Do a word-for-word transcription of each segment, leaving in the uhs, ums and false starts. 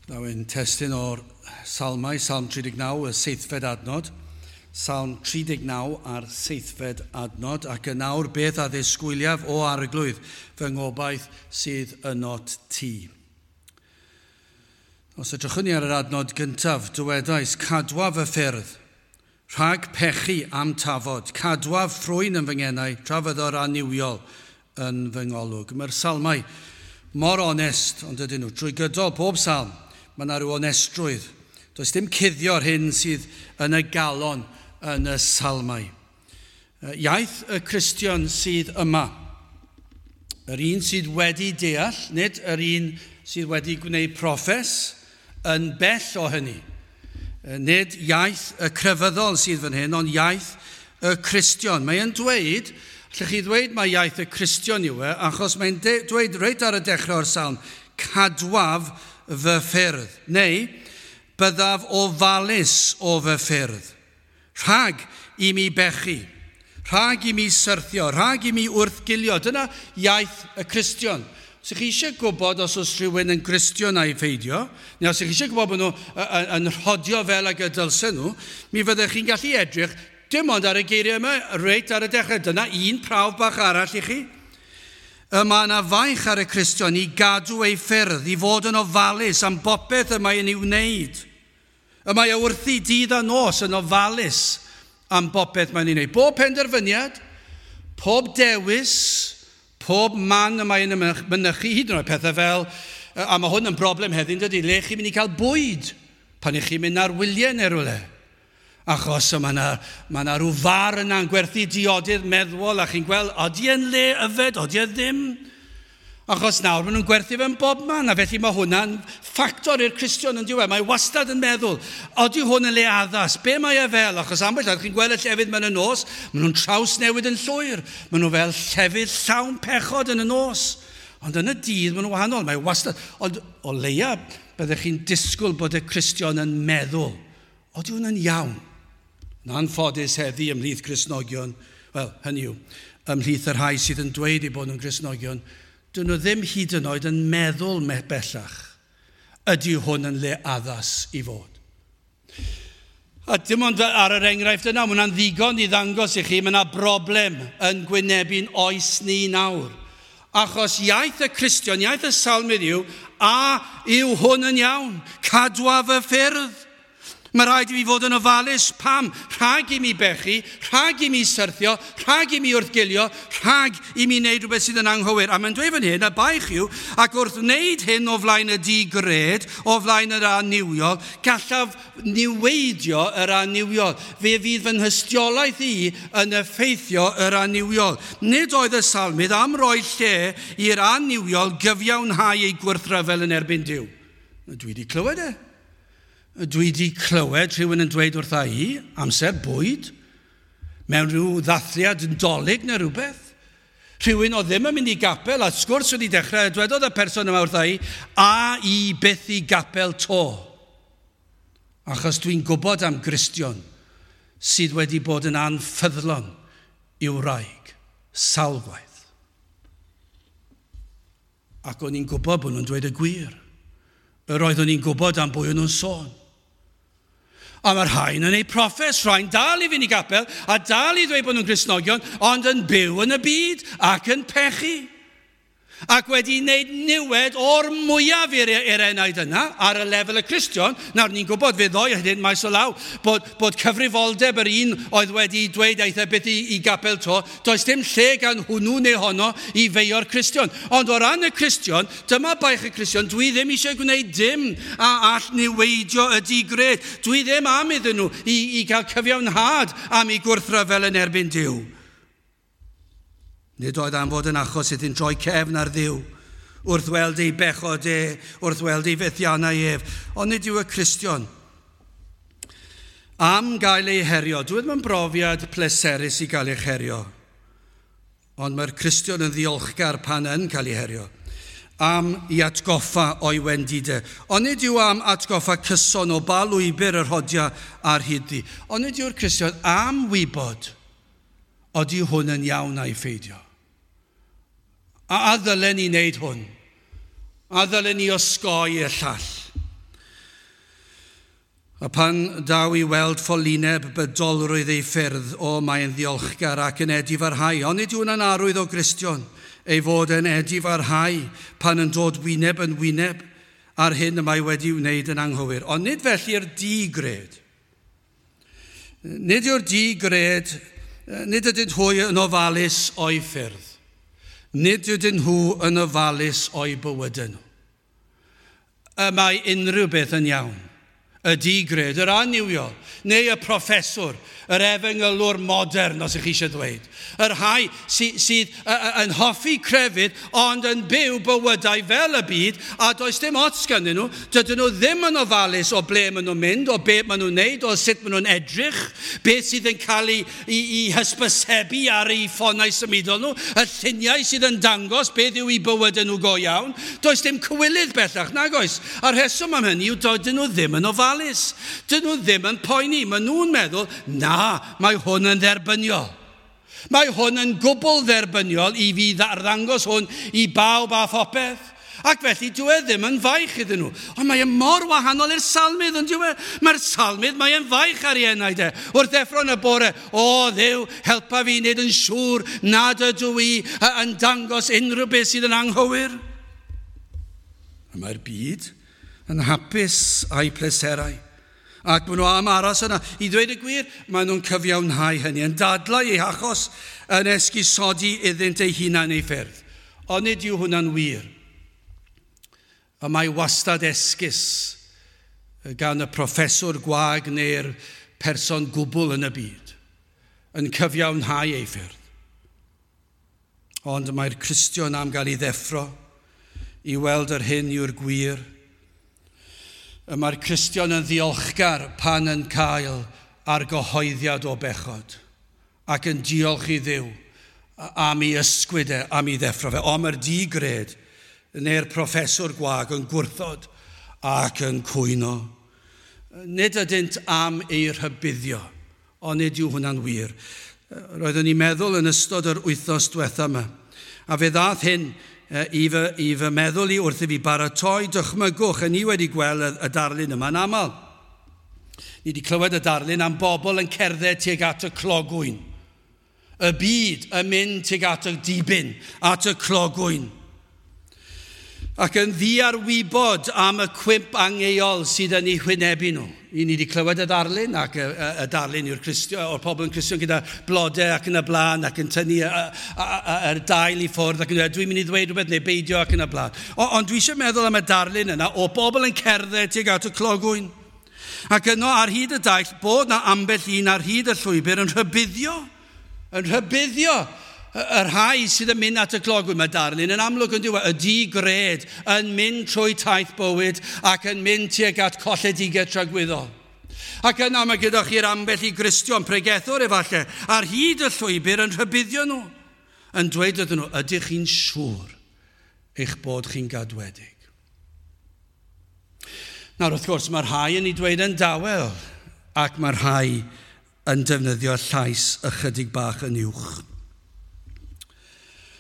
Gwnawn testun o'r Salmau, Salm tri deg naw, y seithfed adnod. Salm tri deg naw a'r seithfed adnod, ac yn awr beth a ddisgwyliaf o Arglwydd, fy ngobaith sydd ynot ti. Os edrychwn ni ar yr adnod gyntaf, dywedais, cadwaf y ffyrdd, rhag pechu am tafod, cadwaf ffrwyn yn fy ngenau, tra fyddo'r annuwiol yn fy ngolwg. Mae'r salmau mor onest, ond ydyn nhw, trwy gydol pob salm, mae yna rhyw onestrwydd. Does dim cuddio'r hyn sydd yn y galon yn y salmau. Iaith y Cristion sydd yma, yr un sydd wedi deall, nid yr un sydd wedi gwneud proffes, yn bell o hynny. Nid iaith y crefyddol sydd fan hyn, ond iaith y Cristion. Mae'n dweud, allwch chi ddweud mai iaith y Cristion yw e, achos mae'n dweud reit ar y dechrau o'r salm, cadwaf fy ffyrdd, neu byddaf ofalus o fy ffyrdd, rhag i mi bechu, rhag i mi syrthio, rhag i mi wrthgilio. Dyna iaith y Cristion. Os ych chi eisiau gwybod os oes rhywun yn Gristion a'i pheidio, neu os ych chi eisiau gwybod bod nhw yn rhodio fel ag y dylsen nhw, mi fyddech chi'n gallu edrych dim ond ar y geiriau yma, reit ar y dechrau. Dyna un prawf bach arall i chi. Y mae yna faich ar y Cristion i gadw ei ffyrdd, i fod yn ofalus am bopeth y mae'n ei wneud. Y mae e wrthi dydd a nos yn ofalus am bopeth mae'n ei wneud. Bob penderfyniad, pob dewis, pob man y mae'n mynychu, hyd yn oed pethau fel, a mae hwn yn broblem heddiw, dydy, le chi'n mynd i cael bwyd pan ych chi'n mynd ar wyliau neu rhywle. Achos mae yna, mae yna rhyw far yna'n gwerthu diodydd meddwol a chi'n gweld, odi e'n le yfed, odi e ddim. Achos nawr maen nhw'n gwerthu fe'n bob man, a felly mae hwnna'n ffactor i'r Cristion yn diwedd. Mae wastad yn meddwl, odi hwn yn le addas, be mae e fel? Achos ambell waith chi'n gweld y llefydd mewn y nos, maen nhw'n trawsnewid yn llwyr. Maen nhw fel llefydd llawn pechod yn y nos. Ond yn y dydd maen nhw'n wahanol, mae wastad. Ond o leia byddech chi'n disgwyl bod y Cristion yn meddwl, odi hwn yn iawn? Yn anffodus heddi ymhlith Cristnogion, wel, hynny yw, ymhlith y rhai sydd yn dweud eu bod nhw'n Gristnogion, dyn nhw ddim hyd yn oed yn meddwl bellach, ydy hwn yn le addas i fod. A dim ond ar yr enghraifft yna, mae hwnna'n ddigon i ddangos i chi, mae yna broblem yn gwynebu'n oes ni nawr. Achos iaith y Cristion, iaith y salmydd yw, a yw hwn yn iawn, cadwaf y ffyrdd. Mae rhaid i mi fod yn ofalus, pam? Rhag i mi bechu, rhag i mi syrthio, rhag i mi wrthgilio, rhag i mi wneud rhywbeth sydd yn anghywir. A mae'n dweud fan hyn, y baich yw, ac wrth wneud hyn o flaen y digred, o flaen yr annuwiol, gallaf niweidio yr annuwiol. Fe fydd fy nhystiolaeth i yn effeithio yr annuwiol. Nid oedd y salmydd am roi lle i'r annuwiol gyfiawnhau ei gwrthryfel yn erbyn Duw. Dwi wedi clywed e. Dwi wedi clywed rhywun yn dweud wrtha i, amser bwyd, mewn rhyw ddathliad Nadolig neu rhywbeth. Rhywun oedd ddim yn mynd i gapel, a sgwrs wedi dechrau, dwedodd y person yma wrtha i, a i byth i gapel to. Achos dwi'n gwybod am Gristion sydd wedi bod yn anffyddlon i'w wraig, sawl gwaith. Ac o'n i'n gwybod bod nhw'n dweud y gwir. Yr oeddwn i'n gwybod am bwy o'n nhw'n sôn. A mae'r rhain yn ei proffes, rhain dal i fynd i gapel, a dal i ddweud bod nhw'n Gristnogion, ond yn byw yn y byd ac yn pechu. Ac wedi wneud niwed o'r mwyaf i'r enaid yna ar y lefel y Cristion. Nawr ni'n gwybod fe ddoi hyn maes o law bod, bod cyfrifoldeb yr un oedd wedi dweud aeth e byth i, i gapel to, does dim lle gan hwnnw neu honno i feio'r Cristion. Ond o ran y Cristion, dyma baich y Cristion, dwi ddim eisiau gwneud dim a all niweidio y digred. Dwi ddim am iddyn nhw i, i gael cyfiawnhad am eu gwrthryfel yn erbyn Duw. Nid oedd am fod yn achos iddyn droi cefn ar Dduw, wrth weld ei bechod e, wrth weld ei fethiannau ef. Ond nid yw y Cristion am gael ei herio. Dwi ddim yn brofiad pleserus i gael eich herio, ond mae'r Cristion yn ddiolchgar pan yn cael ei herio, am i atgoffa o'i wendidau. Ond nid yw am atgoffa cyson o ba lwybr yr rhodia ar hyd-ddi. Ond nid yw'r Cristion am wybod odi hwn yn iawn a'i pheidio. A, a ddylen ni wneud hwn? A ddylen ni osgoi y llall? A pan daw i weld ffolineb bydolrwydd ei ffyrdd, o, mae'n ddiolchgar ac yn edifarhau. Ond nid yw hwnna'n arwydd o Gristion, ei fod yn edifarhau pan yn dod wyneb yn wyneb ar hyn y mae wedi wneud yn anghywir. Ond nid felly'r digred. Nid yw'r digred, nid ydynt hwy yn ofalus o'i ffyrdd. Nid ydyn nhw yn ofalus o'i bywydau nhw. Y mae unrhyw beth yn iawn. Y digred, yr annuwiol, neu y proffeswr, yr efengylwr modern, os ych chi eisiau dweud. Y rhai sy, sydd yn hoffi crefydd, ond yn byw bywydau fel y byd, a does dim ots ganddyn nhw. Dydyn nhw ddim yn ofalus o ble maen nhw'n mynd, o be maen nhw'n neud, o sut maen nhw'n edrych, beth sydd yn cael ei, ei, ei hysbysebu ar eu ffonau symudol nhw, y lluniau sydd yn dangos beth yw eu bywydau nhw go iawn. Does dim cywilydd bellach, nag oes. A'r rheswm am hynny yw dydyn nhw ddim yn ofalus. Dyn nhw ddim yn poeni. Maen nhw'n meddwl, na, mae hwn yn dderbyniol. Mae hwn yn gwbl dderbyniol i fi arddangos hwn i bawb a phopeth. Ac felly dyw e ddim yn faich iddyn nhw. Ond mae e mor wahanol i'r salmydd, ond dyw e? Mae'r salmydd, mae e'n faich ar ei enaid e. Wrth ddeffro yn y bore, o Dduw, helpa fi wneud yn siŵr nad ydw i yn dangos unrhyw beth sydd yn anghywir. A mae'r byd yn hapus a'i pleserau. Ac maen nhw am aros yna. I ddweud y gwir, maen nhw'n cyfiawnhau hynny, yn dadlau eu hachos, yn esgusodi iddynt eu hunain eu ffyrdd. Ond nid yw hwnna'n wir. A mae wastad esgus gan y proffeswr gwag neu'r person gwbl yn y byd, yn cyfiawnhau ei ffyrdd. Ond mae'r Cristion am gael ei ddeffro i weld yr hyn yw'r gwir. Y mae'r Cristion yn ddiolchgar pan yn cael argyhoeddiad o bechod ac yn diolch i Dduw am ei ysgwyd e, am ei ddeffro fe. Ond mae'r digred neu'r proffeswr gwag yn gwrthod ac yn cwyno. Nid ydynt am ei rhybuddio, ond nid yw hwnna'n wir. Roeddwn i'n meddwl yn ystod yr wythnos diwetha yma, a fe ddath hyn i fy, i fy meddwl i wrth i fi baratoi, dychmygwch, a ni wedi gweld y, y darlun yma'n aml. Ni wedi clywed y darlun am bobl yn cerdded tuag at y clogwyn. Y byd yn mynd tuag at y dibyn, at y clogwyn. Ac yn ddiarwybod am y cwymp angeuol sydd yn eu hwynebu nhw. I ni wedi clywed y darlun, ac y, y, y darlun yw'r Cristion, o'r pobl yn Cristion gyda blodau ac yn y blaen, ac yn tynnu yr dail i ffwrdd, ac yn dweud, dwi'n mynd i ddweud rhywbeth neu beidio ac yn y blaen. O, ond dwi eisiau meddwl am y darlun yna o bobl yn cerdded tuag at y clogwyn. Ac yno ar hyd y daith, bod na ambell un ar hyd y llwybr yn rhybuddio, yn rhybuddio y rhai sydd yn mynd at y clogwyn. Mae darlun yn amlwg yn diwedd, y digred yn mynd trwy taith bywyd ac yn mynd tuag at colledigaeth tragwyddol. Ac yna mae gyda chi'r ambell i Gristion, pregethwr efallai, ar hyd y llwybr yn rhybuddio nhw, yn dweud iddyn nhw, ydych chi'n siŵr eich bod chi'n gadwedig? Nawr, wrth gwrs, mae rhai yn ei dweud yn dawel, ac mae rhai yn defnyddio llais ychydig bach yn uwch.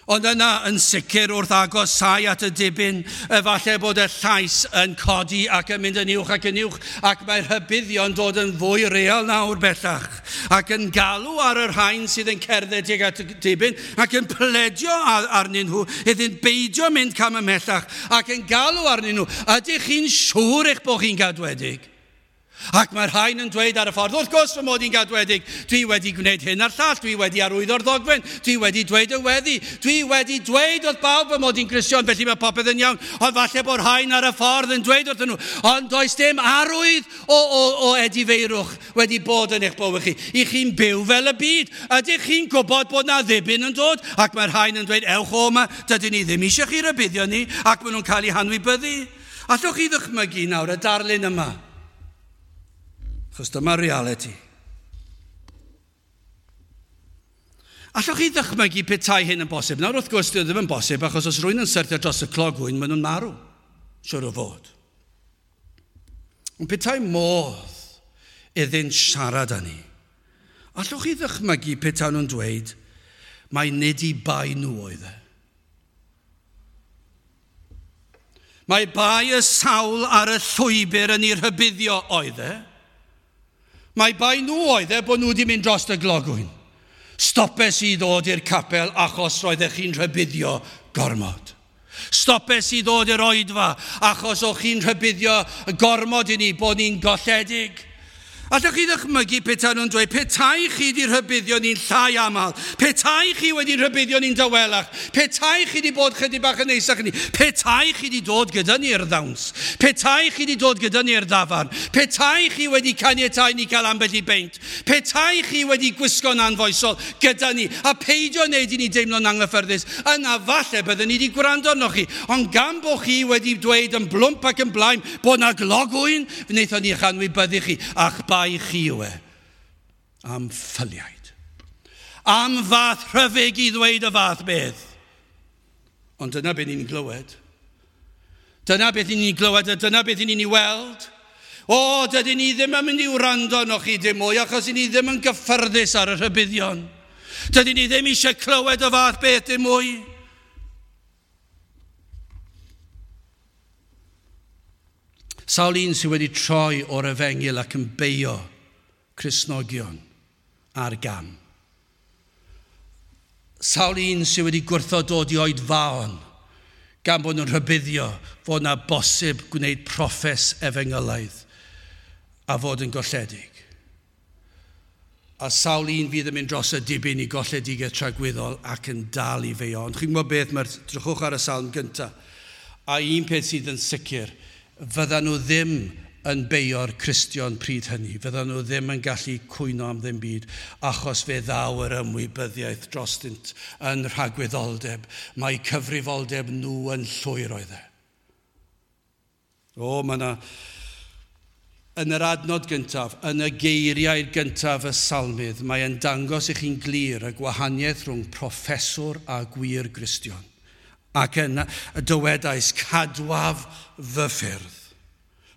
Ond yna yn sicr wrth agosau at y dibyn, efallai bod y llais yn codi ac yn mynd yn uwch ac yn uwch, ac mae'r rhybuddio'n dod yn fwy real nawr bellach, ac yn galw ar y rhain sydd yn cerdded tuag at y dibyn, ac yn pledio arnyn nhw iddynt beidio mynd cam ymhellach, ac yn galw arnyn nhw, ydych chi'n siŵr eich bod chi'n gadwedig? Ac mae'r rhain yn dweud ar y ffordd, wrth gwrs fy mod i'n gadwedig, dwi wedi gwneud hyn a'r llall, dwi wedi arwyddo'r ddogfen, dwi wedi dweud y weddi, dwi wedi dweud wrth bawb fy mod i'n Gristion, felly mae popeth yn iawn, ond falle bod rhain ar y ffordd yn dweud wrthyn nhw, ond does dim arwydd o, o, o edifeirwch wedi bod yn eich bywyd chi. I chi'n byw fel y byd, ydych chi'n gwybod bod na ddibyn yn dod? Ac mae'r rhain yn dweud, ewch o yma, dydyn ni ddim eisiau chi rybuddio ni, ac maen nhw'n cael eu hanwybyddu. Allwch chi ddychmygu nawr y darlun yma? Achos dyma reality. Allwch chi ddychmygu petai hyn yn bosib? Nawr wrth gwrs, dyw e ddim yn bosib, achos os rhywun yn syrthio dros y clogwyn, maen nhw'n marw, siwr o fod. Ond petai modd iddynt siarad â ni, allwch chi ddychmygu petai nhw'n dweud, mai nid i bai nhw oedd e. Mae bai y sawl ar y llwybr yn ei rhybuddio oedd e. Mae bai nhw oedd e bod nhw wedi mynd dros y glogwyn. Stopes i ddod i'r capel achos roeddech chi'n rhybuddio gormod. Stopes i ddod i'r oedfa achos o'ch chi'n rhybuddio gormod i ni bod ni'n golledig. Allwch chi ddychmygu petai nhw'n dweud, petai chi wedi rhybuddio ni'n llai aml, petai chi wedi rhybuddio ni'n dawelach, petai chi wedi bod chydig bach yn neisach ni, petai chi wedi dod gyda ni i'r ddawns, petai chi wedi dod gyda ni i'r dafarn, petai chi wedi caniatáu ni cael ambell i beint, petai chi wedi gwisgo'n anfoesol gyda ni, a peidio wneud i ni deimlo'n anghyffyrddus, yna falle byddwn ni wedi gwrando arnoch chi, ond gan bod chi wedi dweud yn blwmp ac yn blaen bod na glogwyn, wnaethon ni eich anwybyddu chi, a'ch bai chi yw e, am ffyliaid. Am fath rhyfyg i ddweud y fath beth. Ond dyna beth ni'n glywed. Dyna beth ni'n glywed a dyna beth ni'n ei weld. O, dydyn ni ddim yn mynd i wrando arnoch chi dim mwy achos ni ddim yn gyffyrddus ar y rhybuddion. Dydyn ni ddim eisiau clywed y fath beth dim mwy. Sawl un sydd wedi troi o'r efengyl ac yn beio Cristnogion ar gam. Sawl un sydd wedi gwrthod dod i oedfaon gan bod nhw'n rhybuddio fod na bosib gwneud proffes efengylaidd a fod yn golledig. A sawl un fydd yn mynd dros y dibyn i golledigaeth tragwyddol ac yn dal i feio. Ond chi'n gwybod beth, mae'r drychwch ar y salm gyntaf. A un peth sydd yn sicr, fyddan nhw ddim yn beio'r Cristion pryd hynny. Fyddan nhw ddim yn gallu cwyno am ddim byd, achos fe ddaw yr ymwybyddiaeth drostynt yn rhagwyddoldeb. Mae cyfrifoldeb nhw yn llwyr oedd e. O, mae yna... Yn yr adnod gyntaf, yn y geiriau gyntaf y salmydd, mae e'n dangos i chi'n glir y gwahaniaeth rhwng proffeswr a gwir Gristion. Ac yna dywedais, cadwaf fy ffyrdd.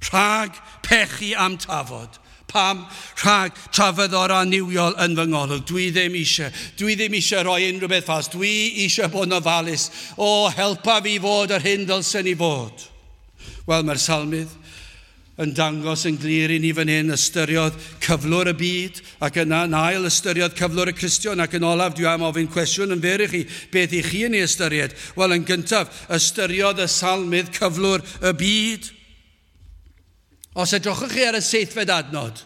Rhag pechu am tafod. Pam? Rhag trafyddor annuwiol yn fy ngolwg. Dwi ddim eisiau. Dwi ddim eisiau rhoi unrhyw beth fas. Dwi eisiau bod yn ofalus. O, helpa fi fod yr hyn ddylsen i fod. Wel, mae'r salmydd yn dangos yn glir i ni fan hyn, ystyriodd cyflwr y byd, ac yna yn ail ystyriodd cyflwr y Cristion, ac yn olaf dwi am ofyn cwestiwn yn fyr i chi, beth i chi yn ei ystyried? Wel, yn gyntaf, ystyriodd y salmydd cyflwr y byd. Os edrychwch chi ar y seithfed adnod,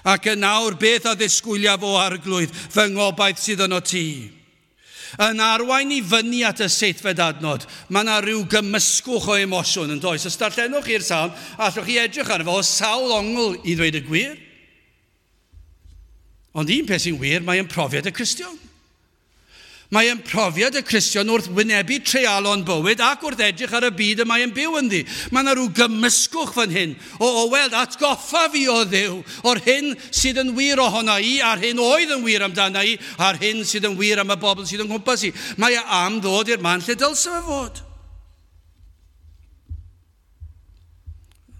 ac yn awr beth a ddisgwyliaf o arglwydd, fy ngobaith sydd yno ti. Yn arwain i fyny at y seithfed adnod, mae yna rhyw gymysgwch o emosiwn yn does. Os darllenwch chi'r salm, allwch chi edrych arno fo o sawl ongl i ddweud y gwir. Ond un peth sy'n wir, mae'n profiad y Cristion. Mae'n profiad y Cristion wrth wynebu treialon bywyd ac wrth edrych ar y byd y mae'n byw ynddi. Mae yna rhyw gymysgwch fan hyn o, o weld atgoffa fi o Dduw o'r hyn sydd yn wir ohono i, a'r hyn oedd yn wir amdana i, a'r hyn sydd yn wir am y bobl sydd yn nghwmpas i. Mae e am ddod i'r man lle dylse fe fod.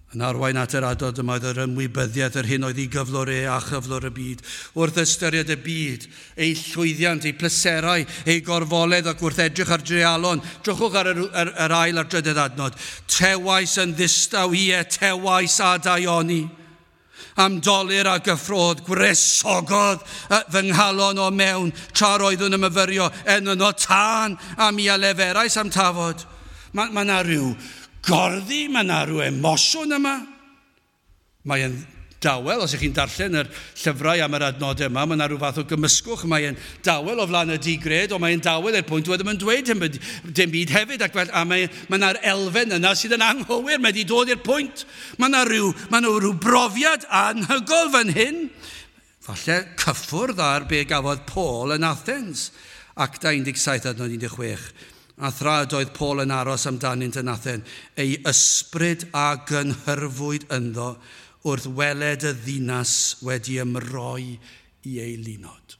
Yn arwain at yr adnod yma oedd yr ymwybyddiaeth yr hyn oedd ei gyflwr e a chyflwr y byd. Wrth ystyried y byd, ei llwyddiant, ei pleserau, ei gorfoledd ac wrth edrych ar dreialon. Drychwch ar yr, yr, yr ail a'r drydydd adnod. Tewais yn ddistaw, ie, tewais a daioni. Am dolur a gyffrodd, gwresogodd fy nghalon o mewn, tra roeddwn yn myfyrio, en yno tân, a mi a leferais am tafod. Mae ma 'na rhyw gorddi, mae yna rhyw emosiwn yma. Mae'n dawel, os ych chi'n darllen yr llyfrau am yr adnodau yma, mae yna rhyw fath o gymysgwch, mae'n dawel o flaen y digred, ond mae'n dawel i'r pwynt dwi ddim yn dweud dim, dim byd hefyd, ac fel, a mae, mae yna'r elfen yna sydd yn anghywir, mae wedi dod i'r pwynt. Mae yna rhyw, mae yna rhyw brofiad anhygoel fan hyn. Falle cyffwrdd ar be gafodd Paul yn Athens, Acta un deg saith adnod un deg chwech. A thra doedd Paul yn aros amdanynt yn Athen, ei ysbryd a gynhyrfwyd ynddo wrth weled y ddinas wedi ymroi i ei linod.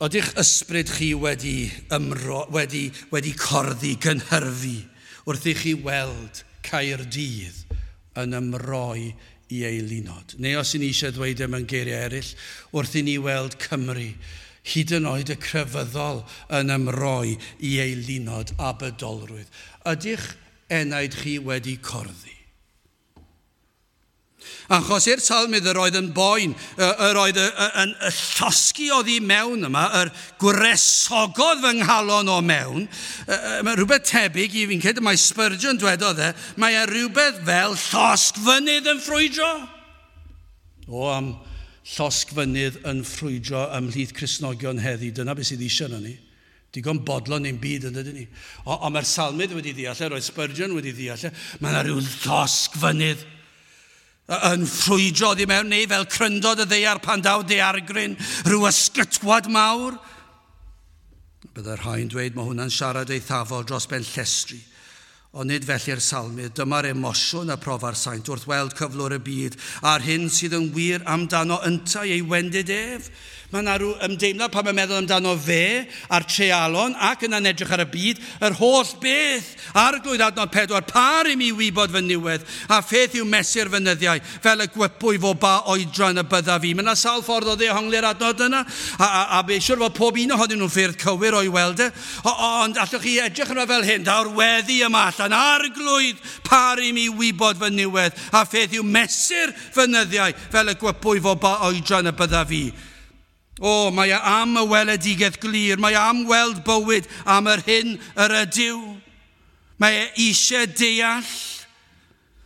Oeddech ysbryd chi wedi, ymro, wedi, wedi corddi, gynhyrfu, wrth i chi weld Caerdydd yn ymroi i ei linod? Neu os i ni eisiau dweud e mewn geiriau eraill, wrth i ni weld Cymru, hyd yn oed y crefyddol yn ymroi i ei linod a bydolrwydd. Ydych enaid chi wedi corddi? Achos i'r salmydd yr oedd yn boen, yr oedd yn llosgi oddi mewn yma, yr gwresogodd fy nghalon o mewn. Mae rhywbeth tebyg i fi'n credu, mae Spurgeon dwedodd e, mae e rhywbeth fel llosgfynydd yn ffrwydro. O, am llosgfynydd yn ffrwydro ymhlith Cristnogion heddi, dyna beth sydd eisiau yna ni. Digon bodlon ein byd yn dydyn ni. Ond mae'r salmydd wedi ddeall e, roedd Spurgeon wedi ddeall e, mae yna rhyw llosgfynydd yn ffrwydro oddi mewn neu fel cryndod y ddaear pan daw daeargryn, rhyw ysgytwad mawr. Byddai'r rhai'n dweud mae hwnna'n siarad eithafol dros ben llestri. Ond nid felly'r salmydd, dyma'r emosiwn a profa'r saint wrth weld cyflwr y byd a'r hyn sydd yn wir amdano yntau ei wendid ef. Mae yna rhyw ymdeimlad pan mae'n meddwl amdano fe a'r treialon ac yna'n edrych ar y byd, yr holl beth. Arglwydd adnod pedwar, par i mi wybod fy niwedd, a pheth yw mesur fy nyddiau, fel y gwybwy fo ba oedran y byddaf fi. Mae yna sawl ffordd o ddehongli'r adnod yna, a, a, a be siwr fod pob un ohonyn nhw'n ffyrdd cywir o'i weld e. O, ond allwch chi edrych yna fel hyn, daw'r weddi yma allan, Arglwydd, par i mi wybod fy niwedd, a pheth yw mesur fy nyddiau, fel y gwybwy fo ba oedran y byddaf fi. O, mae e am y weledigaeth glir, mae e am weld bywyd am yr hyn yr ydyw. Mae e eisiau deall.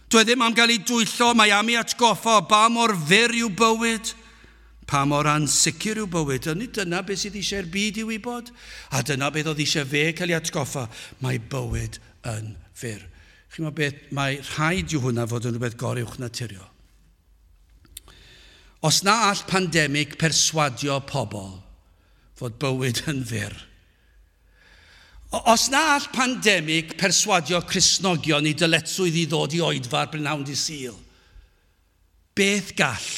Dwi ddim am gael ei dwyllo, mae am ei atgoffa o ba mor fyr yw bywyd, pa mor ansicr yw bywyd. A nid dyna beth sydd eisiau'r byd i wybod, a dyna beth oedd eisiau fe cael ei atgoffa. Mae bywyd yn fyr. Chi'n meddwl beth, mae rhaid yw hwnna fod yn rhywbeth goruwch naturiol. Os na all pandemig perswadio pobl fod bywyd yn fyr. Os na all pandemig perswadio Cristnogion i dyletswydd i ddod i oedfa ar brynhawn dydd Sul, beth gall?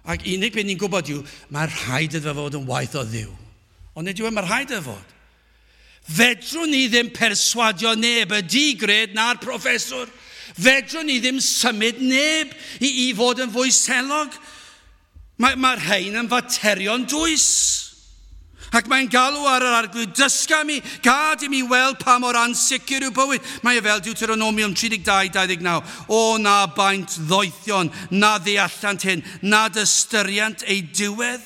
Ac unig beth ni'n gwybod yw, mae rhaid iddo fod yn waith o Dduw. Ond nid yw e, mae rhaid iddo fod. Fedrwn ni ddim perswadio neb, y digred na'r proffeswr. Fedrwn ni ddim symud neb i, i fod yn fwy selog. Mae'r mae rhain yn faterion dwys. Ac mae'n galw ar yr Arglwydd, dysga mi, gad i mi weld pa mor ansicr yw bywyd. Mae e fel Deuteronomium tri deg dau dau ddeg naw. O na baint ddoethion, na ddeallant hyn, nad ystyriant ei diwedd.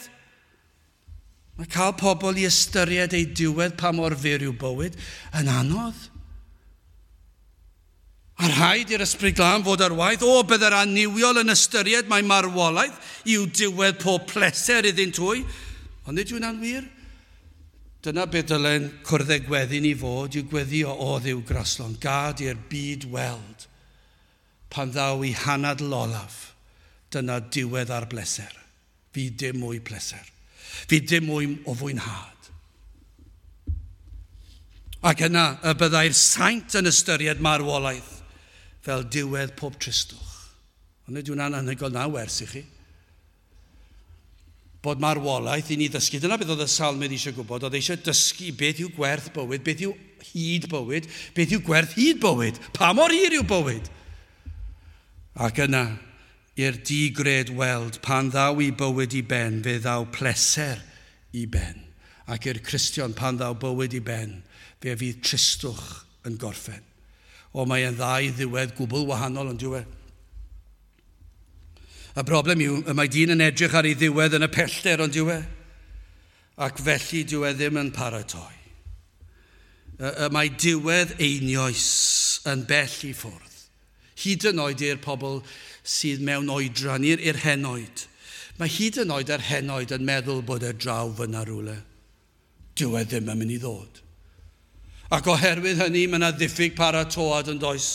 Mae cael pobl i ystyried ei diwedd pa mor fyr yw bywyd yn anodd. A rhaid i'r Ysbryd Glân fod ar waith. O, byddai'r annuwiol yn ystyried mae marwolaeth i'w diwedd pob pleser iddynt hwy. Ond nid yw hwnna'n wir. Dyna beth dylen cwrdd â gweddi ni fod, yw gweddio o Dduw graslon. Gad i'r byd weld pan ddaw i hanadl olaf. Dyna diwedd ar bleser. Fydd dim mwy pleser. Fydd dim mwy o fwynhad. Ac yna y byddai'r saint yn ystyried marwolaeth fel diwedd pob tristwch. Ond nid yw'n anhygoel na wers i chi. Bod marwolaeth i ni ddysgu. Dyna beth oedd y salmydd eisiau gwybod. Oedd eisiau dysgu beth yw gwerth bywyd, beth yw hyd bywyd, beth yw gwerth hyd bywyd, pa mor hir yw bywyd. Ac yna, i'r digred weld, pan ddaw i bywyd i ben, fe ddaw pleser i ben. Ac i'r Cristion, pan ddaw bywyd i ben, fe fydd tristwch yn gorffen. O, mae e'n ddau ddiwedd gwbl wahanol yn diwedd. Y broblem yw, y mae dyn yn edrych ar ei ddiwedd yn y pellter ond diwedd. Ac felly dyw e ddim yn paratoi. Y, y mae diwedd einioes yn bell i ffwrdd. Hyd yn oed i'r pobl sydd mewn oedran, i'r, i'r henoed. Mae hyd yn oed yr henoed yn meddwl bod e draw fyna rhywle. Dyw e ddim yn mynd i ddod. Ac oherwydd hynny, mae yna ddiffyg paratoad yn does.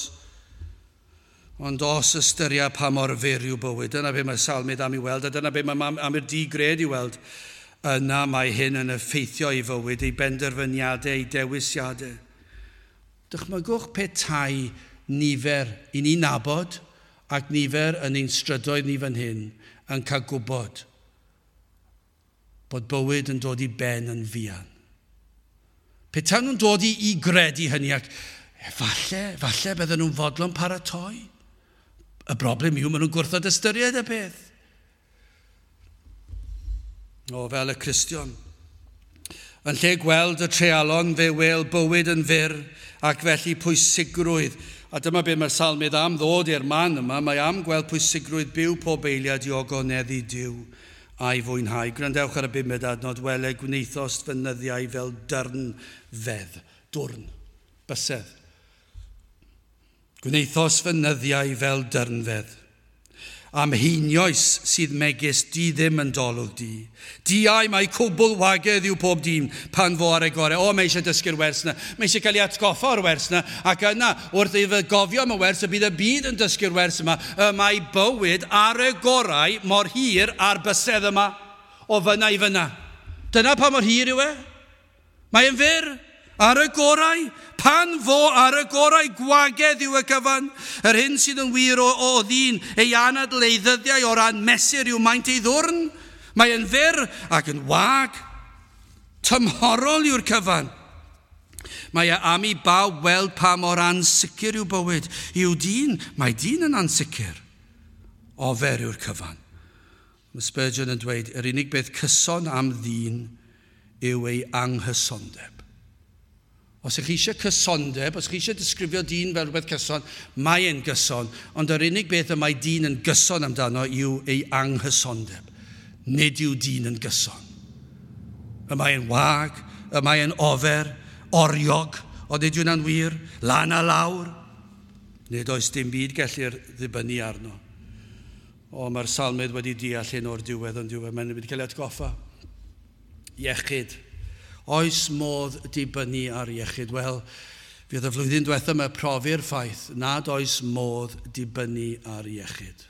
Ond os ystyria pa mor fyr yw bywyd, dyna be mae salmydd am i weld, a dyna be mae am i'r digred i weld, yna mae hyn yn effeithio ei fywyd, ei benderfyniadau, ei dewisiadau. Dychmygwch petai nifer i ni nabod ac nifer yn ein strydoedd ni fan hyn yn cael gwybod bod bywyd yn dod i ben yn fuan. Petai nhw'n dod i, i gredu hynny ac falle, falle bydden nhw'n fodlon paratoi. Y broblem yw, maen nhw'n gwrthod ystyried y peth. O, fel y Cristion. Yn lle gweld y treialon, fe wel bywyd yn fyr ac felly pwysigrwydd A dyma beth mae'r salmydd am ddod i'r man yma. Mae am gweld pwysigrwydd byw pob eiliad i ogoneddu Duw a'i fwynhau. Gwrandewch ar y bumed adnod, wele gwnaethost fy nyddiau fel dyrn fedd. Dwrn, bysedd. Gwnaethost fy nyddiau fel dyrnfedd. Am heinioes sydd megis di ddim yn dolwg di. Diau mae cwbl wagedd yw pob dyn pan fo ar ei gorau. O, mae eisiau dysgu'r wers yna. Mae eisiau cael ei atgoffa o'r wers yna. Ac yna, wrth iddo gofio am y wers, y bydd y byd yn dysgu'r wers yma. Y mae bywyd ar y gorau mor hir ar bysedd yma. O fyna i fyna. Dyna pa mor hir yw e. Mae'n fyr. Ar y gorau, pan fo ar y gorau, gwagedd yw y cyfan. Yr hyn sydd yn wir o, o ddyn, ei anadl ei ddyddiau o ran mesur yw maint ei ddwrn. Mae yn fyr ac yn wag. Tymhorol yw'r cyfan. Mae e am i bawb weld pa mor ansicr yw bywyd. Yw dyn, mae dyn yn ansicr. Ofer yw'r cyfan. Mae Spurgeon yn dweud, yr unig beth cyson am ddyn yw ei anghysondeb. Os ych chi eisiau cysondeb, os ych chi eisiau disgrifio dyn fel rhywbeth cyson, mae e'n gyson, ond yr unig beth y mae dyn yn gyson amdano yw ei anghysondeb. Nid yw dyn yn gyson. Y mae e'n wag, y mae e'n ofer, oriog, ond nid yw'n wir, lan a lawr. Nid oes dim byd gellir ddibynnu arno. O, mae'r salmydd wedi deall hyn o'r diwedd ond diwedd, mae'n wedi cael ei atgoffa. Iechyd. Oes modd dibynnu ar iechyd? Wel, fydd y flwyddyn diwethaf yma profi'r ffaith nad oes modd dibynnu ar iechyd.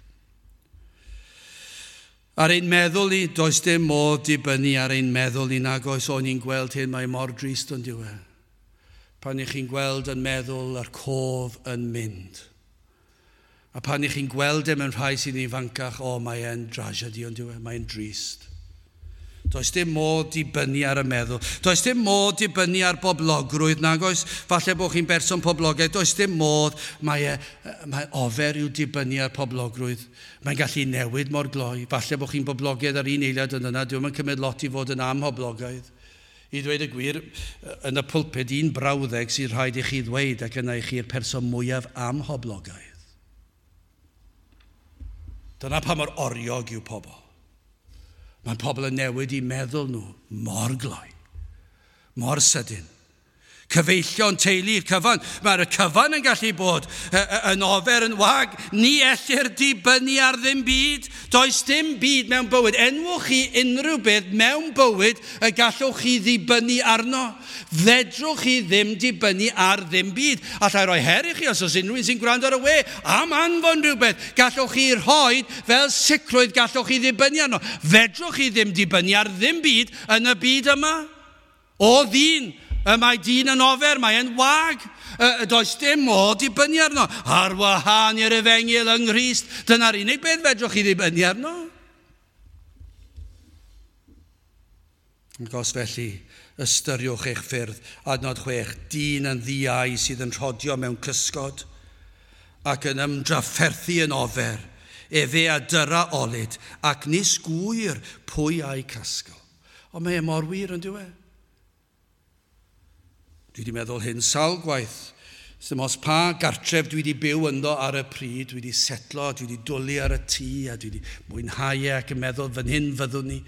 Ar ein meddwl ni, does dim modd dibynnu ar ein meddwl ni, nag oes. O'n i'n gweld hyn, mae mor drist ond yw e. Pan ych chi'n gweld yn meddwl a'r cof yn mynd. A pan ych chi'n gweld e mewn rhai sy'n ifancach, o, mae e'n drasiedi ond yw e, mae'n drist. Does dim modd dibynnu ar y meddwl. Does dim modd dibynnu ar boblogrwydd, nag oes. Falle bod chi'n berson poblogaidd. Does dim modd. Mae, e, mae ofer yw dibynnu ar poblogrwydd. Mae'n gallu newid mor gloi. Falle bod chi'n boblogaidd ar un eiliad yn yna. Dwi'm yn cymryd lot i fod yn amhoblogaidd. I ddweud y gwir, yn y pulpit, un brawddeg sy'n rhaid i chi ddweud ac yna i chi'r person mwyaf amhoblogaidd. Dyna pa mor oriog yw pobl. Mae pobl yn newid i meddwl nhw mor gloi, mor sydyn. Cyfeillion, teulu, cyfan. Mae'r cyfan yn gallu bod yn ofer, yn wag. Ni ellir dibynnu ar ddim byd. Does dim byd mewn bywyd. Enwch chi unrhyw beth mewn bywyd y gallwch chi ddibynnu arno. Fedrwch chi ddim dibynnu ar ddim byd. Allai roi her i chi os oes unrhyw un sy'n gwrando ar y we am anfon rhywbeth. Gallwch chi rhoi fel sicrwydd gallwch chi ddibynnu arno. Fedrwch chi ddim dibynnu ar ddim byd yn y byd yma. O ddyn. Y mae dyn yn ofer, mae e'n wag. Y does dim modd dibynnu arno. Ar wahân i'r efengyl yng Nghrist, dyna'r unig beth fedrwch chi ddibynnu arno. Ac os felly, ystyriwch eich ffyrdd. Adnod chwech, dyn yn ddiau sydd yn rhodio mewn cysgod ac yn ymdrafferthu yn ofer. Efe a dyra olud ac nis gŵyr pwy a'i casgl. Ond mae e mor wir yn dyw e. Dwi wedi meddwl hyn sawl gwaith. Dim os pa gartref dwi wedi byw ynddo ar y pryd, dwi wedi setlo, dwi wedi dwlu ar y tŷ, a dwi wedi mwynhau e ac yn meddwl fan hyn fyddwn ni.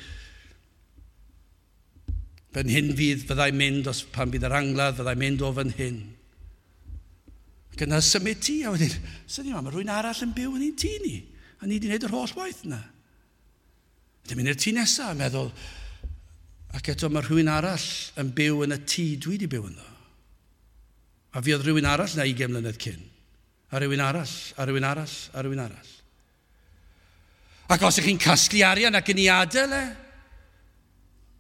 Fan hyn fydd fyddai mynd os pan bydd yr angladd, fyddai mynd o fan hyn. Ac yna symud tŷ, a wedyn, syni ma, mae rhywun arall yn byw yn ein tŷ ni, a ni wedi gwneud yr holl waith yna. Wedyn mynd i'r tŷ nesaf a meddwl, ac eto mae rhywun arall yn byw yn y tŷ dwi wedi byw ynddo. A fi oedd rhywun arall na ugain mlynedd cyn. A rhywun arall, a rhywun arall, a rhywun arall. Ac os ych chi'n casglu arian ac yn ei adael e,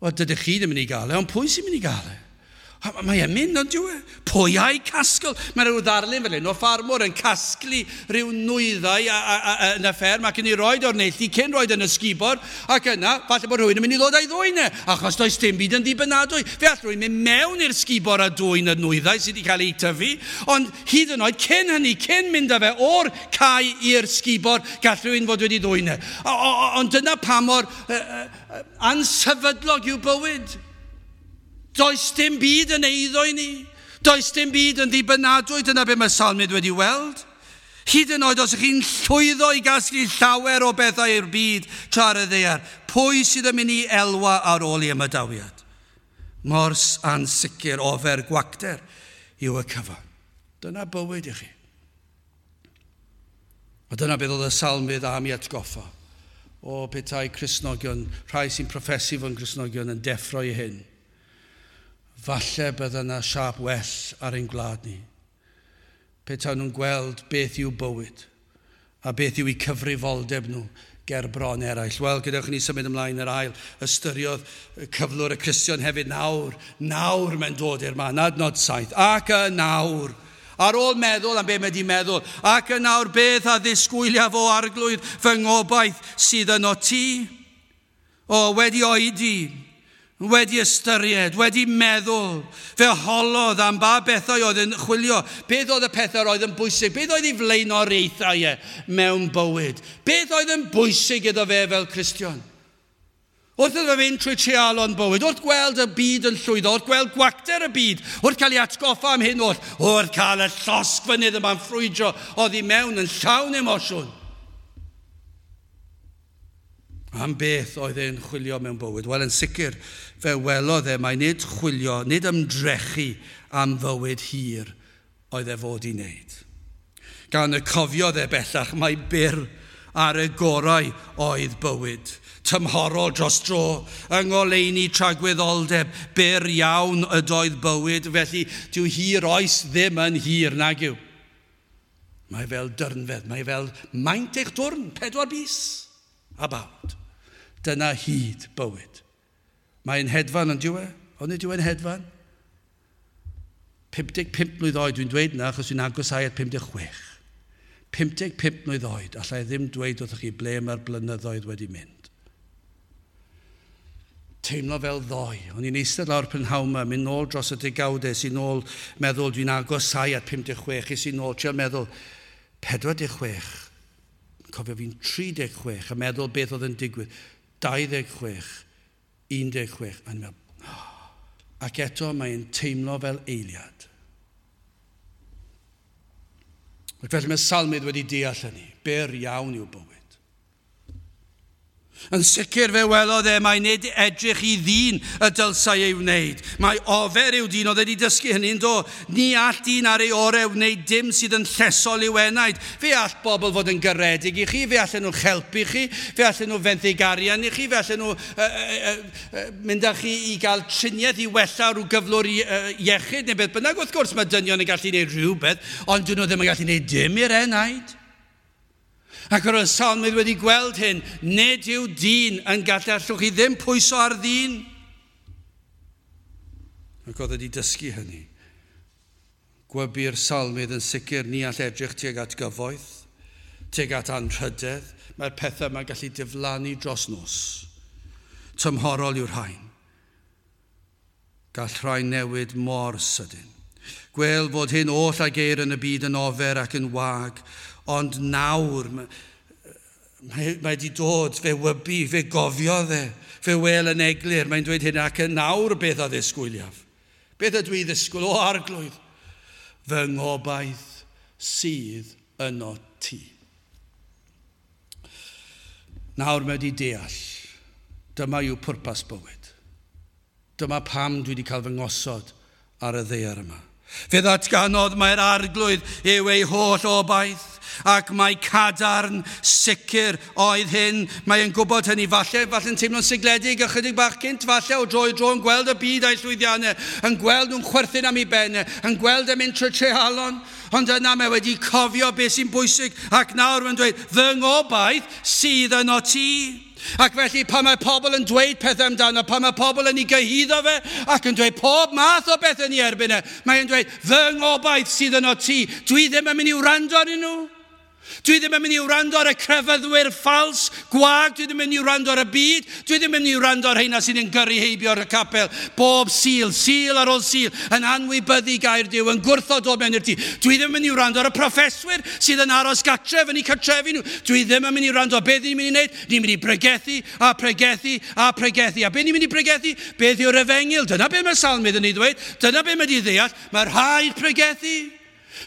wel, dydych chi ddim yn ei gael e, ond pwy sy'n mynd i gael e? Mae e'n mynd, ond dyw e? Pwy a'i casgl? Mae rhyw ddarlun fel un o ffarmwr yn casglu rhyw nwyddau a, a, a, yn y fferm ac yn ei roed o'r neilltu cyn roed yn y sgubor, ac yna, falle bod rhywun yn mynd i ddod a'i ddwyn e, achos does dim byd yn ddibynadwy. Fe all rhywun mynd mewn i'r sgubor a dwyn y nwyddau sydd wedi cael eu tyfu, ond hyd yn oed cyn hynny, cyn mynd â fe o'r cae i'r sgubor, gall rhywun fod wedi dwyn e. O, o, ond dyna pa mor uh, uh, ansefydlog yw bywyd. Does dim byd yn eiddo i ni. Does dim byd yn ddibynadwy, dyna be mae Salmydd wedi weld. Hyd yn oed os ych chi'n llwyddo i gasglu llawer o bethau i'r byd tra ar y ddaear, pwy sydd yn mynd i elwa ar ôl i ymadawiad? Mor ansicr ofer gwacter yw y cyfan. Dyna bywyd i chi. A dyna beth oedd y salmydd am i atgoffa. O petai Cristnogion, rhai sy'n proffesu fod yn Cristnogion yn deffro i hyn. Falle bydda yna siâp well ar ein gwlad ni. Petai nhw'n gweld beth yw bywyd a beth yw eu cyfrifoldeb nhw ger bron eraill. Wel, gadewch i ni symud ymlaen yr ail, ystyriodd cyflwr y Cristion hefyd nawr. Nawr mae'n dod i'r man, adnod saith. Ac y nawr, ar ôl meddwl am be mae di meddwl, ac y nawr beth a ddisgwyliaf o arglwydd fy ngobaith sydd yno ti? O, wedi oedi, wedi ystyried, wedi meddwl, fe holodd am ba bethau oedd yn chwilio, beth oedd y pethau oedd yn bwysig, beth oedd ei flaenoriaethau e mewn bywyd, beth oedd yn bwysig iddo fe fel Cristion. Wrth iddo fynd trwy treialon bywyd, wrth gweld y byd yn llwyddo, wrth gweld gwacter y byd, wrth cael ei atgoffa am hyn oll, wrth cael y llosgfynydd yma'n ffrwydro oddi mewn yn llawn emosiwn. Am beth oedd e'n chwilio mewn bywyd? Wel, yn sicr, fe welodd e mai nid chwilio, nid ymdrechu am fywyd hir oedd e fod i wneud. Gan y cofiodd e bellach mai byr ar y gorau oedd bywyd. Tymhorol dros dro, yng ngoleuni tragwyddoldeb, byr iawn ydoedd bywyd, felly dyw hir oes ddim yn hir nag yw. Mae fel dyrnfedd, mae fel maint eich dwrn, pedwar bys, a bawd. Dyna hyd bywyd. Mae'n hedfan yn diwe? Ond nid yw e'n hedfan? pum deg pump mlwydd oed, dwi'n dweud na, achos dwi'n agosau at pum deg chwech. pum deg pump mlwydd oed, allai ddim dweud wrthych chi ble mae'r blynyddoedd wedi mynd. Teimlo fel ddoe. O'n i'n eistedd lawr prynhawn yma, mynd nôl dros y degawdau, sy'n nôl meddwl dwi'n agosau at pum deg chwech, sy'n nôl trial meddwl pedwar deg chwech, cofio fi'n tri deg chwech, a meddwl beth oedd yn digwydd, dau ddeg chwech, un deg chwech, a ni'n meddwl, oh. Ac eto mae'n teimlo fel eiliad. Ac felly mae Salmydd wedi deall hynny, byr iawn yw bywyd. Yn sicr fe welodd e mai nid edrych i ddyn y dylsai ei wneud. Mae ofer yw dyn, oedd wedi dysgu hynny'n do. Ni all dyn ar ei orau wneud dim sydd yn llesol i'w enaid. Fe all bobl fod yn garedig i chi, fe allan nhw helpu chi, fe allan nhw fenthyg arian i chi, fe allan nhw uh, uh, uh, mynd â chi i gael triniaeth i wella rhyw gyflwr i, uh, iechyd neu beth bynnag. Wrth gwrs mae dynion yn gallu gwneud rhywbeth, ond dyn nhw ddim yn gallu gwneud dim i'r enaid. Ac yr oedd Salmydd wedi gweld hyn, nid yw dyn yn gallu, allwch chi ddim pwyso ar ddyn. Ac oedd wedi dysgu hynny. Gwybu'r Salmydd yn sicr ni all edrych tuag at gyfoeth, tuag at anrhydedd. Mae'r pethau yma'n gallu diflannu dros nos. Tymhorol yw'r rhain. Gall rhai newid mor sydyn. Gwel fod hyn oll a geir yn y byd yn ofer ac yn wag, ond nawr, mae, mae wedi dod, fe wybu, fe gofiodd e, fe wel yn eglur, mae'n dweud hyn, ac yn nawr beth a ddisgwyliaf. Beth ydw i ddisgwyl? O arglwydd, fy ngobaith sydd yno ti. Nawr mae wedi deall, dyma yw pwrpas bywyd. Dyma pam dwi wedi cael fy ngosod ar y ddaear yma. Fe ddatganodd mae'r arglwydd yw ei holl obaith, ac mae cadarn sicr oedd hyn. Mae'n gwybod hynny, falle, falle'n teimlo'n sigledig ychydig bach cynt, falle o dro i dro yn gweld y byd a'i llwyddiannau, yn gweld nhw'n chwerthin am ei bennau, yn gweld yn mynd trwy treialon, ond yna mae wedi cofio beth sy'n bwysig, ac nawr mae'n dweud, fy ngobaith sydd yno ti. Ac felly pan mae pobl yn dweud pethau amdano, pan mae pobl yn ei gyhuddo fe ac yn dweud pob math o bethau yn ei erbyn e, mae'n dweud, fy ngobaith sydd yno ti, dwi ddim yn mynd i wrando arnyn nhw. Dwi ddim yn mynd i wrando ar y crefyddwyr ffals, gwag, dwi ddim yn mynd i wrando ar y byd, dwi ddim yn mynd i wrando ar heina sydd yn gyrru heibio ar y capel, bob Sul, Sul ar ôl Sul, yn anwybyddu gair Duw, yn gwrthod dod mewn i'r tŷ. Dwi ddim yn mynd i wrando ar y proffeswyr sydd yn aros gatref yn eu cartrefi nhw. Dwi ddim yn mynd i wrando ar beth ni'n mynd i wneud. Ni'n mynd i bregethu a pregethu a pregethu. A beth ni'n mynd i pregethu? Beth yw'r efengyl? Dyna beth mae'r salmydd yn ei ddweud. Dyna beth mae wedi ddeall. Mae rhaid pregethu.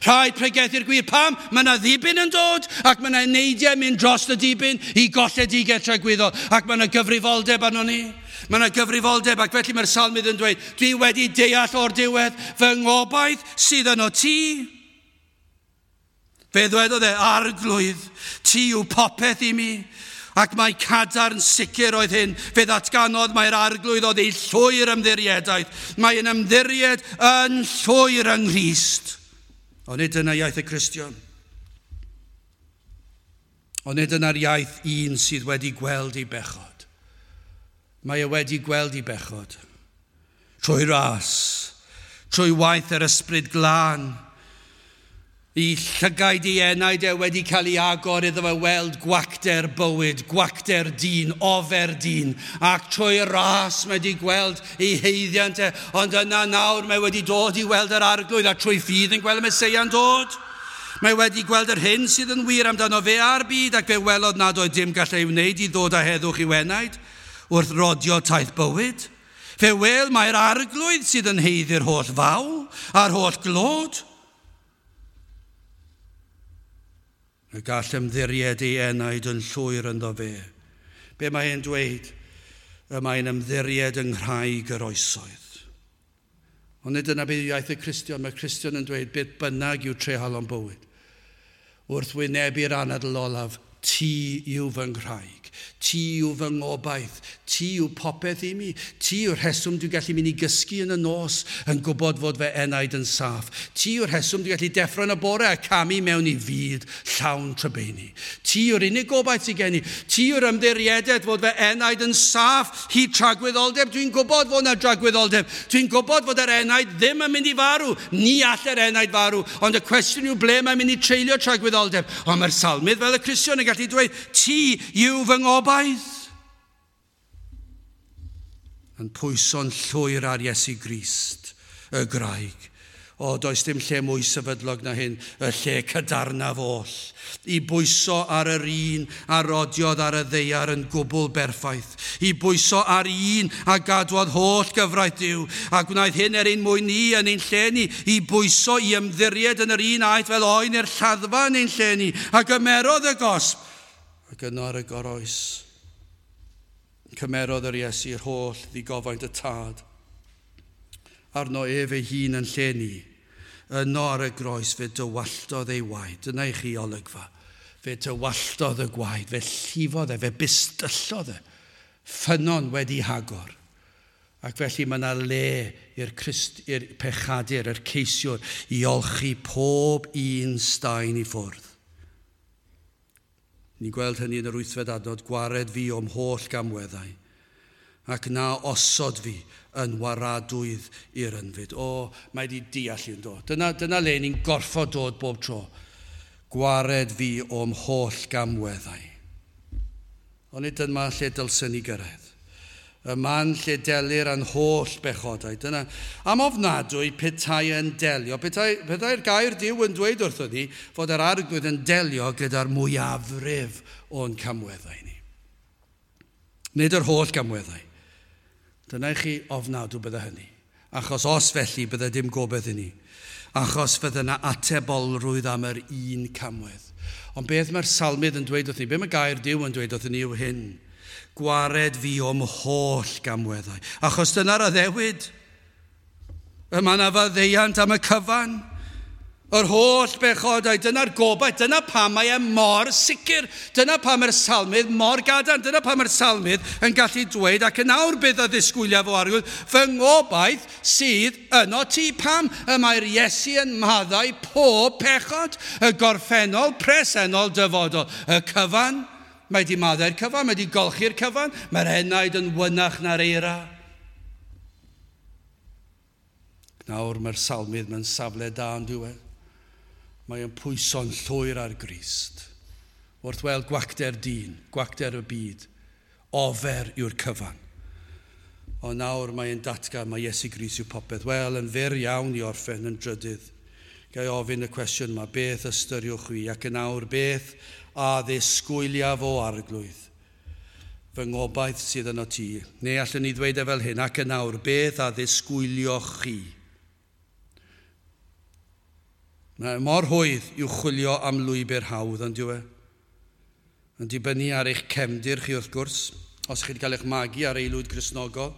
Rhaid pregethu'r gwir. Pam? Mae yna ddibyn yn dod ac mae yna eneidiau mynd dros y dibyn i golledigaeth tragwyddol ac mae yna gyfrifoldeb arno ni. Mae yna gyfrifoldeb ac felly mae'r salmydd yn dweud, dwi wedi deall o'r diwedd fy ngobaith sydd yno ti. Fe ddwedodd e, Arglwydd, ti yw popeth i mi. Ac mae cadarn sicr oedd hyn. Fe ddatganodd mae'r Arglwydd oedd ei llwyr ymddiriedaeth. Mae'n ymddiried yn llwyr yng Nghrist. Ond nid dyna iaith y Cristion. Ond nid dyna'r iaith un sydd wedi gweld ei bechod. Mae e wedi gweld ei bechod. Trwy ras, trwy waith yr Ysbryd Glân, i llygaid ei enaid e wedi cael ei agor iddo fe weld gwacter bywyd, gwacter dyn, ofer dyn, ac trwy ras mae wedi gweld ei haeddiant e, ond yna nawr mae wedi dod i weld yr Arglwydd a trwy ffydd yn gweld y Meseia'n dod. Mae wedi gweld yr hyn sydd yn wir amdano fe a'r byd ac fe welodd nad oedd dim gallai ei wneud i ddod â heddwch i'w enaid wrth rodio taith bywyd. Fe wel mae'r Arglwydd sydd yn haeddu'r holl fawl a'r holl glod. Y gall ymddiried ei enaid yn llwyr ynddo fe. Be mae e'n dweud? Y mae'n ymddiried yng nghraig yr oesoedd. Ond nid dyna beth yw iaith y Cristion. Mae'r Cristion yn dweud beth bynnag yw treialon bywyd. Wrth wynebu'r anadl olaf, ti yw fy nghraig, ti yw fy ngobaith, ti yw popeth i mi, ti yw'r rheswm dwi'n gallu mynd i gysgu yn y nos yn gwybod fod fy enaid yn saff, ti yw'r rheswm dwi'n gallu deffro yn y bore a camu mewn i fyd llawn trybeini, ti yw'r unig gobaith sydd gen i, ti yw'r ymddiriedaeth fod fy enaid yn saff hyd tragwyddoldeb, dwi'n gwybod fod yna dragwyddoldeb, dwi'n gwybod fod yr enaid ddim yn mynd i farw, ni all yr enaid farw, ond y cwestiwn yw ble mae'n mynd i treulio tragwyddoldeb, ond mae'r salmydd fel y Cristion yn gallu dweud, ti yw fy ngobaith. Yn pwyso'n llwyr ar Iesu Grist, y graig. O, does dim lle mwy sefydlog na hyn, y lle cadarnaf oll. I bwyso ar yr un a rodiodd ar y ddaear yn gwbl berffaith. I bwyso ar un a gadwodd holl gyfraith Duw, a gwnaeth hyn er ein mwyn ni yn ein lle ni. I bwyso i ymddiried yn yr un aeth fel oen i'r lladdfa yn ein lle ni, a gymerodd y gosb, ac yno ar y goroes. Cymerodd yr Iesu yr holl ddigofaint y tad. Arno ef ei hun yn lle ni. Yno ar y groes fe dywalltodd ei waed. Dyna i chi olygfa. Fe dywalltodd y gwaed, fe llifodd e, fe bistyllodd e. Ffynnon wedi hagor. Ac felly mae yna le i'r Christ, i'r pechadur, i'r ceisiwr, i olchi pob un staen i ffwrdd. Ni'n gweld hynny yn yr wythfed adnod, gwared fi o'm holl gamweddau, ac na osod fi yn waradwydd i'r ynfyd. O, mae di deall i'n dod. Dyna, dyna le ni'n gorfod dod bob tro. Gwared fi o'm holl gamweddau. Ond nid dyma lle dylsen ni gyrraedd. Y man lle delir a'n holl bechodau. Dyna, am ofnadwy petai yn delio, petai, petai'r gair Duw yn dweud wrthon ni fod yr Arglwydd yn delio gyda'r mwyafrif o'n camweddau ni. Nid yr holl gamweddau. Dyna i chi ofnadw bydde hynny. Achos os felly bydde dim gobaith i ni. Achos fydde yna atebolrwydd am yr un camwedd. Ond beth mae'r salmydd yn dweud wrthyn ni, beth mae gair Duw yn dweud wrthyn ni yw hyn. Gwared fi o'm holl gamweddau. Achos dyna'r addewid. Y mae yna faddeuant am y cyfan. Yr holl bechodau, dyna'r gobaith, dyna pam mae e mor sicr, dyna pam mae'r salmydd mor gadarn, dyna pam mae'r salmydd yn gallu dweud, ac yn awr bydd y ddisgwyliaf o Arglwydd, fy ngobaith sydd yno ti. Pam y mae'r Iesu yn maddau pob pechod, y gorffennol, presennol, dyfodol, y cyfan. Mae di maddau'r cyfan, mae di golchi'r cyfan, mae'r enaid yn wynach na'r eira. Nawr mae'r salmydd mewn safle da yn diwedd. Mae yn pwyso'n llwyr ar Grist. Wrth weld gwacter dyn, gwacter y byd, ofer yw'r cyfan. Ond nawr mae'n datgan mae Iesu Grist yw popeth. Wel, yn fyr iawn i orffen yn drydydd. Gai ofyn y cwestiwn yma, beth ystyriwch chwi? Ac yn awr, beth a ddisgwyliaf o Arglwydd? Fy ngobaith sydd yno ti. Neu allwn ni ddweud e fel hyn, ac yn awr, beth a ddisgwylioch chi? Mae mor hwydd i'w chwilio am lwybr hawdd, ond yw e? Yn dibynnu ar eich cefndir chi wrth gwrs, os chi wedi cael eich magu ar aelwyd Gristnogol.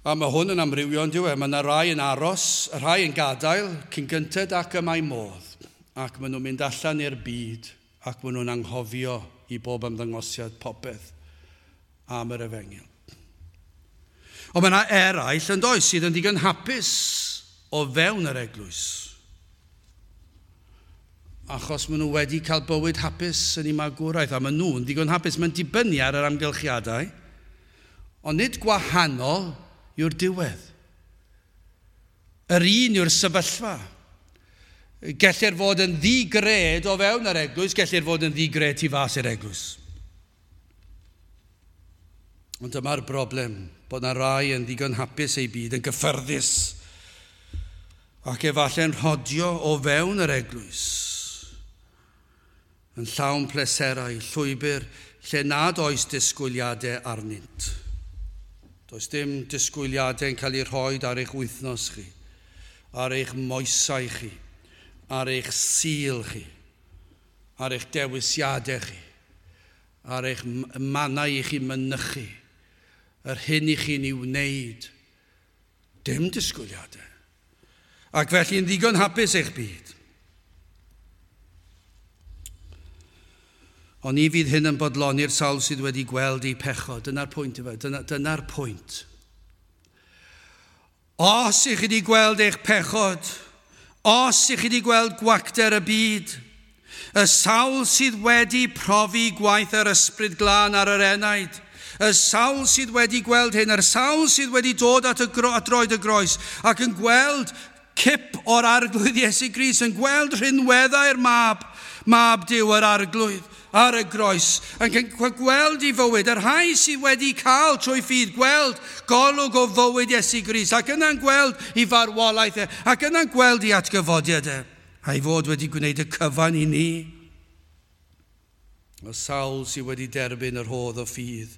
A mae hwn yn amrywio, ond yw e? Mae yna rai yn aros, rhai yn gadael cyn gynted ac y mae modd. Ac maen nhw'n mynd allan i'r byd ac maen nhw'n anghofio i bob ymddangosiad popeth am yr efengyl. Ond mae yna eraill yn does sydd yn ddigon hapus o fewn yr eglwys. Achos maen nhw wedi cael bywyd hapus yn eu magwraeth, a maen nhw'n ddigon hapus. Mae'n dibynnu ar yr amgylchiadau, ond nid gwahanol yw'r diwedd. Yr un yw'r sefyllfa. Gellir fod yn ddigred o fewn yr eglwys, gellir fod yn ddigred tu fas i'r eglwys. Ond dyma'r broblem, bod yna rai yn ddigon hapus eu byd, yn gyffyrddus, ac efallai'n rhodio o fewn yr eglwys, yn llawn pleserau, llwybr lle nad oes disgwyliadau arnynt. Does dim disgwyliadau yn cael eu rhoi ar eich wythnos chi, ar eich moesau chi, ar eich Sul chi, ar eich dewisiadau chi, ar eich mannau i chi mynychu, yr hyn i chi'n ei wneud. Dim disgwyliadau. Ac felly yn ddigon hapus eich byd. Ond ni fydd hyn yn bodloni'r sawl sydd wedi gweld eu pechod. Dyna'r pwynt yma. Dyna, dyna'r pwynt. Os ych chi wedi gweld eich pechod, os ych chi wedi gweld gwacter y byd, y sawl sydd wedi profi gwaith yr Ysbryd Glân ar yr enaid, y sawl sydd wedi gweld hyn, yr sawl sydd wedi dod at, y gro, at droed y groes ac yn gweld cip o'r Arglwydd Iesu Grist, yn gweld rhinweddau'r mab, mab Duw yr Arglwydd ar y groes, yn gweld i fywyd, yr rhai sydd wedi cael trwy ffydd, gweld golwg o fywyd Iesu Grist, ac yna'n gweld i farwolaeth e, ac yna'n gweld i atgyfodiad e, a'i fod wedi gwneud y cyfan i ni. Y sawl sydd wedi derbyn yr rhodd o ffydd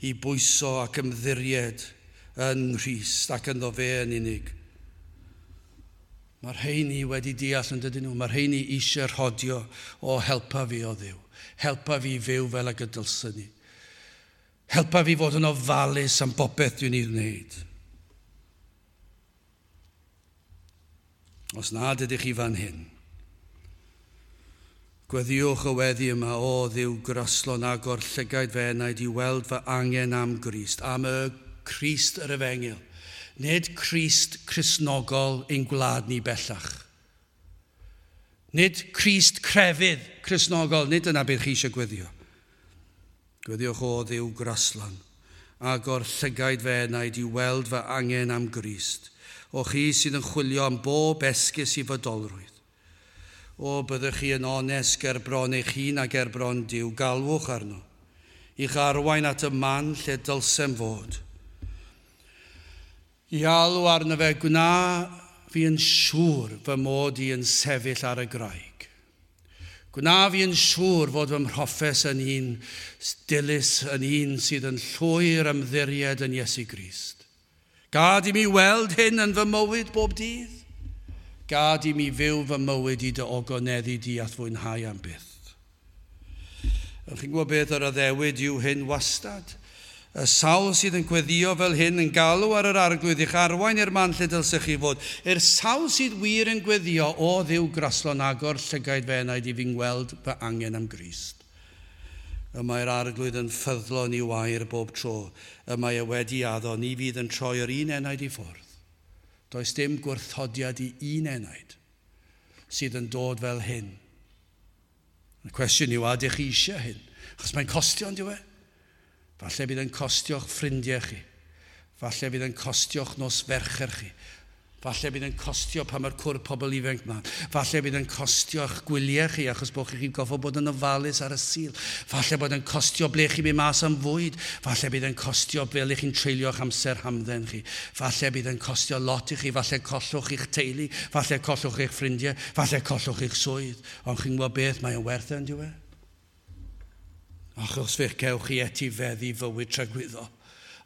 i bwyso ac ymddiried yn Nghrist ac ynddo fe yn unig. Mae'r rheini wedi deall yn dydyn nhw, mae'r rheini eisiau rhodio o helpa fi o Dduw. Helpa fi fyw fel ag y dylswn ni. Helpa fi fod yn ofalus am bopeth dwi'n ei wneud. Os nad ydych chi fan hyn, gweddïwch y weddi yma, o Dduw graslon agor llygaid fy enaid i weld fy angen am Grist, am y Crist yr efengyl. Nid Crist Cristnogol ein gwlad ni bellach. Nid Crist crefydd Cristnogol, nid yna beth chi eisiau gweddio. Gweddiwch o Dduw graslon, agor llygaid fy enaid i weld fy angen am Grist. O chi sydd yn chwilio am bob esgus i fodolrwydd. O, byddwch chi yn onest ger bron eich hun a ger bron Duw, galwch arno, i'ch arwain at y man lle dylsem fod. I alw arno fe, gwna fi yn siŵr fy mod i yn sefyll ar y graig. Gwna fi yn siŵr fod fy mhroffes yn un dilys, yn un sydd yn llwyr ymddiried yn Iesu Grist. Gad i mi weld hyn yn fy mywyd bob dydd. Gad i mi fyw fy mywyd i dy ogoneddu di a fwynhau am byth. Chi'n gwybod beth yr addewid yw hyn wastad? Y sawl sydd yn gweddio fel hyn yn galw ar yr Arglwydd i'ch arwain i'r man lle dylsech chi fod. I'r sawl sydd wir yn gweddio, o Dduw graslon agor llygaid fy enaid i fi'n gweld fy angen am Grist. Y mae'r Arglwydd yn ffyddlon i'w air bob tro. Y mae e wedi addo, ni fydd yn troi yr un enaid i ffwrdd. Does dim gwrthodiad i un enaid sydd yn dod fel hyn. Y cwestiwn yw, a ydych chi eisiau hyn? Achos mae'n costio, on'd yw e? Falle bydd yn costio'ch ffrindiau chi. Falle bydd yn costio'ch nos Fercher chi. Falle bydd yn costio pan mae'r cwrdd pobl ifanc yma. Falle bydd yn costio eich gwyliau chi achos bod chi'n goffo bod yn ofalus ar y Sul. Falle bod yn costio ble chi'n mynd mas am fwyd. Falle bydd yn costio fel i chi'n treulio eich amser hamdden chi. Falle bydd yn costio lot i chi. Falle collwch eich teulu. Falle collwch eich ffrindiau. Falle collwch eich swydd. Ond chi'n gwybod beth, mae o'n werth yn diwedd. Achos fe gewch chi etifeddu fywyd tragwyddol.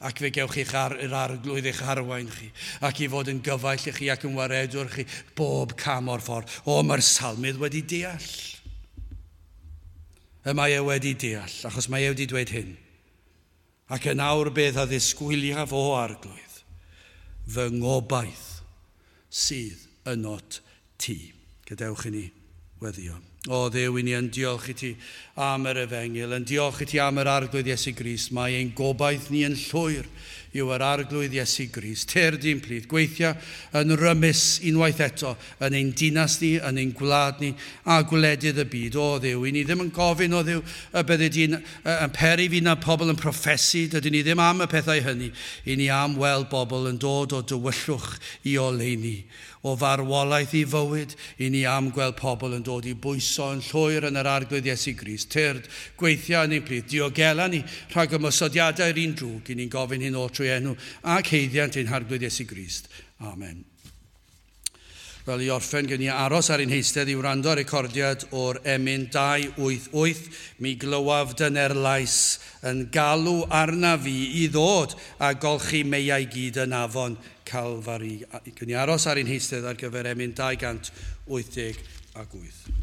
Ac fe gewch chi'ch ar, yr arglwydd eich arwain chi, ac i fod yn gyfaill i chi ac yn waredwr chi bob cam o'r ffordd. O, mae'r salmydd wedi deall. Y mae e wedi deall, achos mae e wedi dweud hyn. Ac yn awr beth a ddisgwyliaf o arglwydd, fy ngobaith sydd ynot ti. Gadewch i ni weddio. O Dduw, i ni yn diolch i ti am yr efengyl, yn diolch i ti am yr arglwydd Iesu Grist. Mae ein gobaith ni yn llwyr yw yr arglwydd Iesu Grist. Tyrd i'n plith, gweithio yn rymus unwaith eto yn ein dinas ni, yn ein gwlad ni a gwledydd y byd. O Dduw, i ni ddim yn gofyn o Dduw y byddi di'n yn peri fi na pobl yn proffesu, dydyn ni ddim am y pethau hynny. I ni am weld bobl yn dod o dywyllwch i oleuni, o farwolaeth i fywyd, i ni am gweld pobl yn dod i bwyso yn llwyr yn yr arglwydd Iesu Grist. Tyrd, gweithio yn ein plith, diogela ni rhag ymosodiadau'r un drwg, i ni'n gofyn hyn oll trwy enw ac haeddiant ein harglwydd Iesu Grist. Amen. Wel, i orffen, gen i aros ar ein heistedd i wrando ar recordiad o'r emyn dau wyth wyth. Mi glywaf dyner lais yn galw arna fi i ddod a golchi meiau gyd yn afon Calfari. Gen i aros ar ein heistedd ar gyfer emyn dau gant wyth deg ac wyth.